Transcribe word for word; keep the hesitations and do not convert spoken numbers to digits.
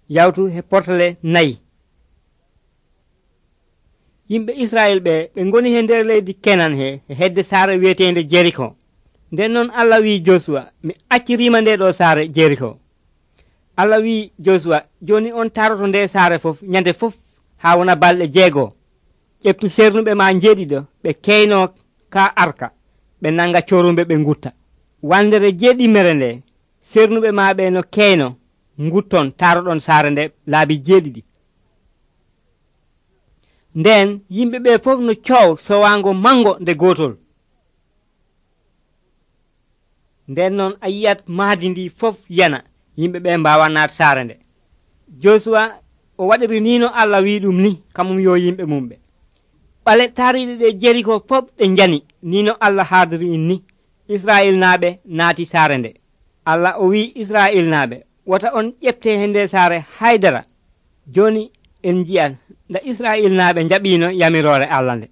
yawtu he portale nayi. Yimɓe Israel ɓe ɓe ngoni he nder leydi Kenan he e hedde saare wi'etende Jeriko. Nden noon Allah wi Josua, mi accirima nde ɗo saare Jeriko. Allah wi Josua, joni on taroto nde saare fof nyande fof ha wona balɗe jeego. ƴeftu sernuɓe ma jeeɗiɗo ɓe keyno ka arka ɓe nanga corumɓe ɓe gutta. Wandere jeeɗimmere nde sernuɓe ma ɓe no keyno gutton taroɗon saare nde laabi jeeɗiɗi. Nden yimɓe ɓe fof no coow sowango mango nde gotol. Nden noon a yiyat mahdi ndi fof yana yimɓe ɓe mbawa naat saare nde. Josua o waɗiri ni no Allah wi ɗum ni kamum yo yimɓe mum ɓe. ɓale taariɗe ɗe Jeriko fof ɗe njani ni no Allah haadiri in ni. Israil naaɓe naati saare nde. Allah o wi Israil naaɓe, wota on ƴefte he nde saare haydara. Joni en jiyan nda Israil naaɓe jaɓino yamirore Allah nde.